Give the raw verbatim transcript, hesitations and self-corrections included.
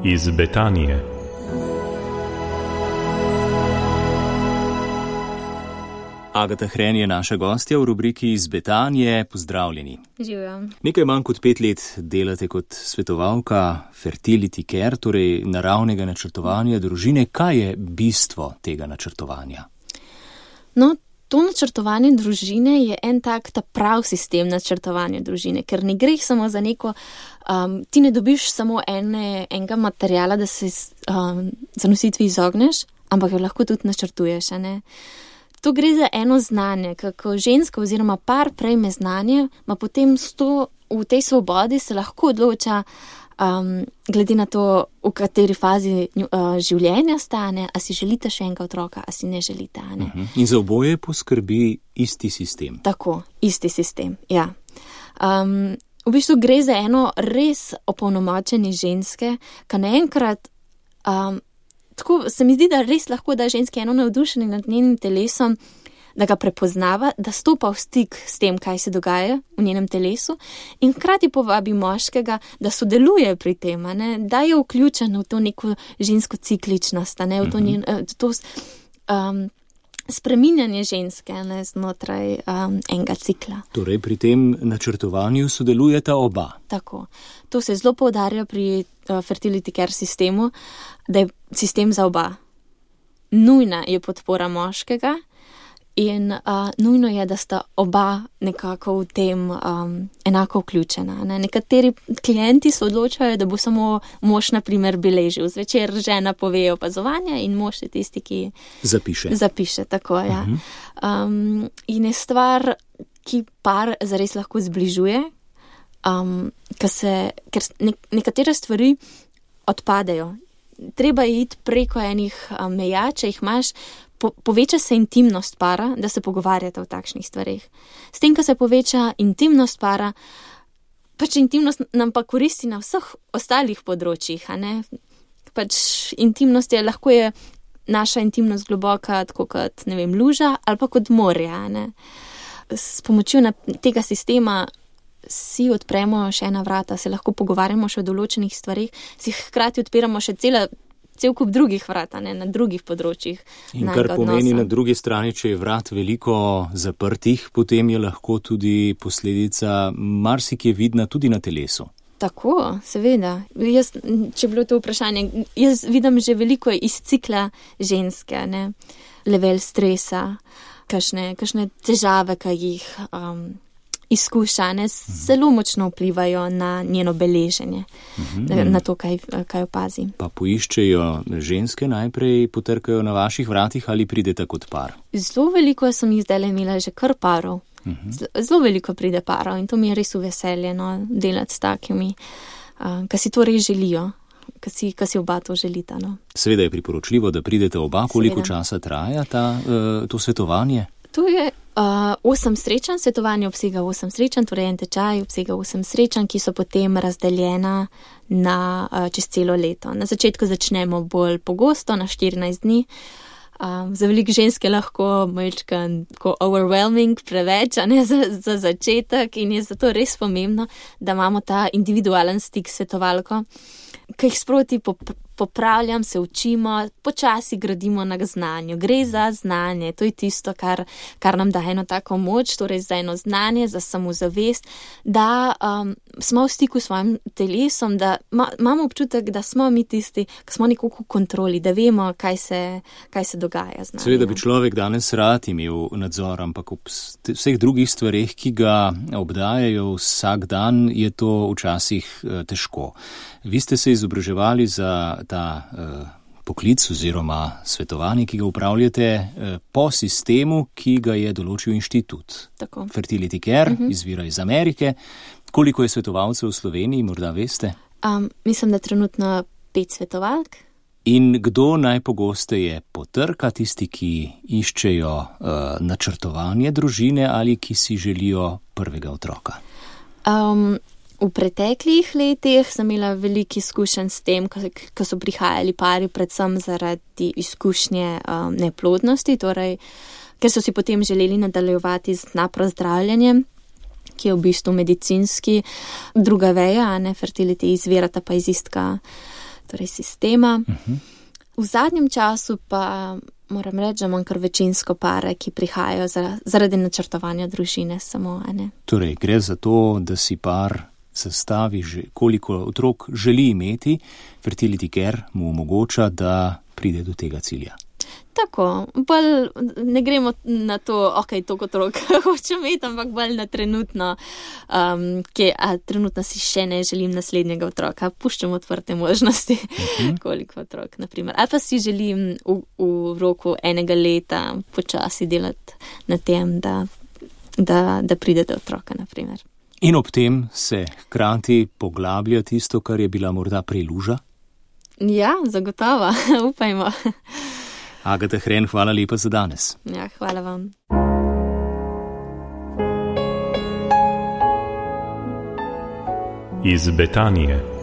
iz Betanije. Agata Hren je naša gostja v rubriki iz Betanije. Pozdravljeni. Živjo. Nekaj manj kot pet let delate kot svetovalka fertility care, torej naravnega načrtovanja družine. Kaj je bistvo tega načrtovanja? No, to načrtovanje družine je en tak ta prav sistem načrtovanja družine, ker ne gre samo za neko, um, ti ne dobiš samo ene, enega materijala, da se um, zanositvi izogneš, ampak jo lahko tudi načrtuješ, a ne? To gre za eno znanje, kako ženska oziroma par prejme znanje, ma potem sto, v tej svobodi se lahko odloča, um, glede na to, v kateri fazi uh, življenja stane, a si želite še enega otroka, a si ne želite. Ne? Uh-huh. In za oboje poskrbi isti sistem. Tako, isti sistem, ja. Um, v bistvu gre za eno res opolnomočenje ženske, ka naenkrat um, tako se mi zdi, da res lahko da ženski eno navdušenje nad njenim telesom, da ga prepoznava, da stopa v stik s tem, kaj se dogaja v njenem telesu in hkrati povabi moškega, da sodeluje pri tem, ne? Da je vključen v to neko žensko cikličnost, ne? V to, njen, to um, spreminjanje ženske, ne? Znotraj um, enega cikla. Torej pri tem načrtovanju sodelujeta oba. Tako. To se zelo poudarja pri uh, fertility care sistemu, da je sistem za oba. Nujna je podpora moškega in uh, nujno je, da sta oba nekako v tem um, enako vključena. Ne? Nekateri klienti se odločajo, da bo samo mož, na primer, beležil. Zvečer žena pove opazovanja in mož je tisti, ki zapiše. Zapiše, tako, ja. Uh-huh. Um, in je stvar, ki par zares lahko zbližuje, um, ker se, ker ne, nekatere stvari odpadejo. Treba je iti preko enih um, meja, če jih imaš, po, poveča se intimnost para, da se pogovarjate o takšnih stvarih. S tem, ko se poveča intimnost para, pač intimnost nam pa koristi na vseh ostalih področjih, a ne? Pač intimnost je, lahko je naša intimnost globoka, tako kot, ne vem, luža ali pa kot morje, a ne? S pomočjo na, tega sistema si odpremo še ena vrata, se lahko pogovarjamo še o določenih stvarih, si hkrati odpiramo še cela, cel kup drugih vrat, ne, na drugih področjih. In kar pomeni odnosa. Na drugi strani, če je vrat veliko zaprtih, potem je lahko tudi posledica marsikje vidna tudi na telesu. Tako, seveda. Jaz, če bilo to vprašanje, jaz vidim že veliko iz cikla ženske, ne, level stresa, kakšne, kakšne težave, kaj jih um, izkušane zelo močno vplivajo na njeno beleženje, mm-hmm. na to, kaj, kaj opazi. Pa poiščejo ženske najprej, potrkajo na vaših vratih ali pridete kot par? Zelo veliko sem jih zdaj imela že kar parov. Mm-hmm. Zelo veliko pride parov in to mi je res v veselje, no, delati s takimi, uh, ki si to res želijo, ki si, ki si oba to želita. No. Seveda je priporočljivo, da pridete oba. Koliko Seveda. Časa traja ta, uh, to svetovanje? To je uh, osem srečanj, svetovanje obsega osem srečanj, torej en tečaj obsega osem srečanj, ki so potem razdeljena na uh, čez celo leto. Na začetku začnemo bolj pogosto, na štirinajst dni. Um, za veliko ženske lahko malčkan tako overwhelming, preveč, a ne za, za začetek in je zato res pomembno, da imamo ta individualen stik s svetovalko, ki jih sproti pop- popravljam, se učimo, počasi gradimo na znanju. Gre za znanje, to je tisto, kar, kar nam daje eno tako moč, torej za eno znanje, za samozavest, da um, smo v stiku s svojim telesom, da ma, imamo občutek, da smo mi tisti, ki smo nekako v kontroli, da vemo, kaj se, kaj se dogaja z nami. Seveda bi človek danes rad imel nadzor, ampak ob vseh drugih stvareh, ki ga obdajajo vsak dan, je to včasih uh, težko. Vi ste se izobraževali za ta uh, poklic oziroma svetovanje, ki ga upravljate uh, po sistemu, ki ga je določil inštitut. Tako. Fertility Care, uh-huh. izvira iz Amerike. Koliko je svetovalcev v Sloveniji, morda veste? Um, mislim, da trenutno pet svetovalk. In kdo najpogosteje potrka, tisti, ki iščejo uh, načrtovanje družine ali ki si želijo prvega otroka? Um, V preteklih letih sem imela veliko izkušenj s tem, ko so prihajali pari predvsem zaradi izkušnje um, neplodnosti, torej, ker so si potem želeli nadaljevati z naprozdravljanjem, ki je v bistvu medicinski druga veja, a ne fertility izvirata pa iz istega torej sistema. Uh-huh. V zadnjem času pa moram reči, da imam kar večinsko pare, ki prihajajo zaradi načrtovanja družine samo, a ne. Torej, gre za to, da si par zastavi, koliko otrok želi imeti, Fertility Care mu omogoča, da pride do tega cilja. Tako, bolj ne gremo na to, ok, toliko otrok hočem imeti, ampak bolj na trenutno, um, ki, a trenutno si še ne želim naslednjega otroka, puščam odprte možnosti, uh-huh. koliko otrok, naprimer. Ali pa si želim v, v roku enega leta počasi delati na tem, da, da, da pride do otroka, naprimer. In ob tem se hkrati poglablja tisto, kar je bila morda preluža? Ja, zagotovo, upajmo. Agata Hren, hvala lepa za danes. Ja, hvala vam. Iz Betanije.